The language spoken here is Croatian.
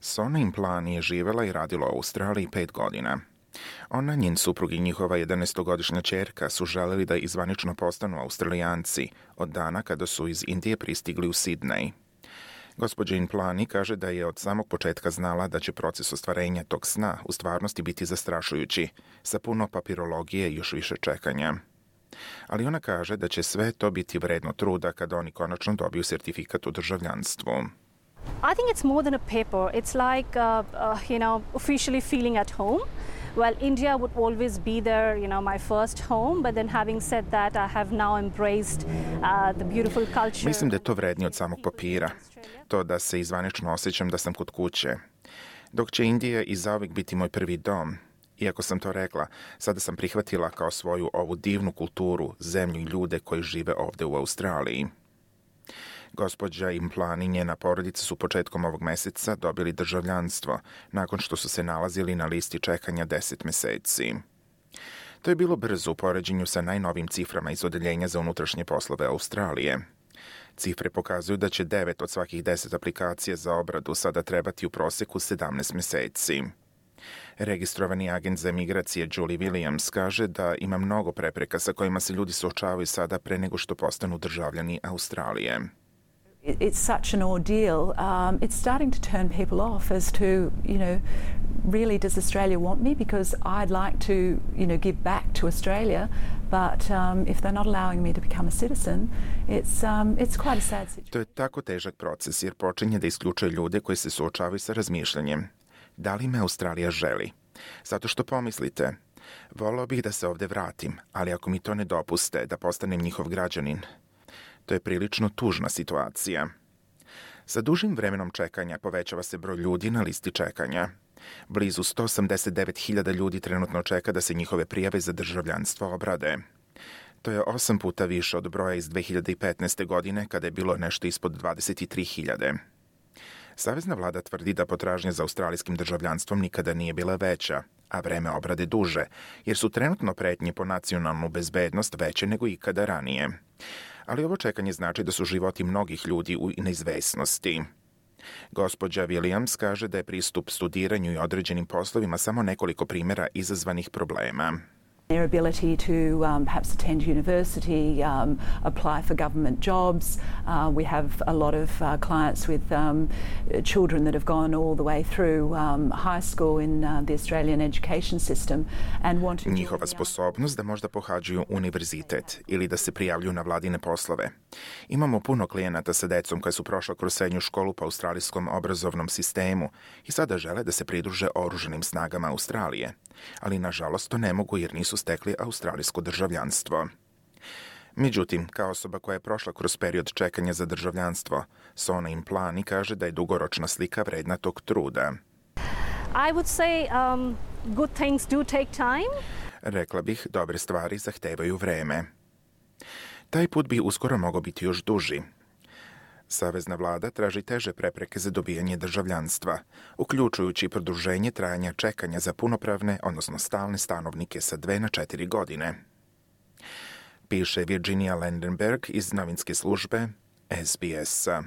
Sona Implani je živela i radila u Australiji 5 godina. Ona, njen suprug i njihova 11-godišnja ćerka su želeli da izvanično postanu Australijanci od dana kada su iz Indije pristigli u Sidnej. Gospođa Implani kaže da je od samog početka znala da će proces ostvarenja tog sna u stvarnosti biti zastrašujući, sa puno papirologije i još više čekanja. Ali ona kaže da će sve to biti vredno truda kada oni konačno dobiju sertifikat o državljanstvu. I think it's more than a paper. It's like, officially feeling at home. Well, India would always be there, my first home, but then having said that, I have now embraced the beautiful culture. Mislim da je to vrednije od samog papira. To da se izvanično osjećam da sam kod kuće. Dok će Indija i zauvijek biti moj prvi dom. Iako sam to rekla, sada sam prihvatila kao svoju ovu divnu kulturu, zemlju i ljude koji žive ovde u Australiji. Gospođa Implani i njena porodica su početkom ovog meseca dobili državljanstvo, nakon što su se nalazili na listi čekanja 10 meseci. To je bilo brzo u poređenju sa najnovim ciframa iz Odeljenja za unutrašnje poslove Australije. Cifre pokazuju da će 9 od svakih 10 aplikacija za obradu sada trebati u proseku 17 meseci. Registrovani agent za migracije Julie Williams kaže da ima mnogo prepreka sa kojima se ljudi suočavaju sada pre nego što postanu državljani Australije. It's such an ordeal. It's starting to turn people off as to, really does Australia want me? Because I'd like to, give back to Australia, but if they're not allowing me to become a citizen, it's quite a sad situation. To je tako težak proces jer počinje da isključuje ljude koji se suočavaju sa razmišljanjem. Da li me Australija želi? Zato što pomislite, voleo bih da se ovde vratim, ali ako mi to ne dopuste da postanem njihov građanin, to je prilično tužna situacija. Sa dužim vremenom čekanja povećava se broj ljudi na listi čekanja. Blizu 189.000 ljudi trenutno čeka da se njihove prijave za državljanstvo obrade. To je 8 puta više od broja iz 2015. godine, kada je bilo nešto ispod 23.000. Savezna vlada tvrdi da potražnja za australijskim državljanstvom nikada nije bila veća, a vreme obrade duže, jer su trenutno pretnje po nacionalnu bezbednost veće nego ikada ranije. Ali ovo čekanje znači da su životi mnogih ljudi u neizvesnosti. Gospođa Williams kaže da je pristup studiranju i određenim poslovima samo nekoliko primjera izazvanih problema. Their ability to perhaps attend university, apply for government jobs. We have a lot of clients with children that have gone all the way through high school in the Australian education system and want to... Njihova sposobnost da možda pohađaju univerzitet ili da se prijavljuju na vladine poslove. Imamo puno klijenata sa decom koja su prošla kroz srednju školu po australijskom obrazovnom sistemu i sada žele da se pridruže oružanim snagama Australije. Ali nažalost to ne mogu jer nisu stekli australijsko državljanstvo. Međutim, kao osoba koja je prošla kroz period čekanja za državljanstvo, Sona Implani kaže da je dugoročna slika vredna tog truda. I would say good things do take time. Rekla bih, dobre stvari zahtevaju vreme. Taj put bi uskoro mogao biti još duži. Savezna vlada traži teže prepreke za dobijanje državljanstva, uključujući produženje trajanja čekanja za punopravne, odnosno stalne stanovnike sa 2 na 4 godine. Piše Virginia Landenberg iz novinske službe SBS-a.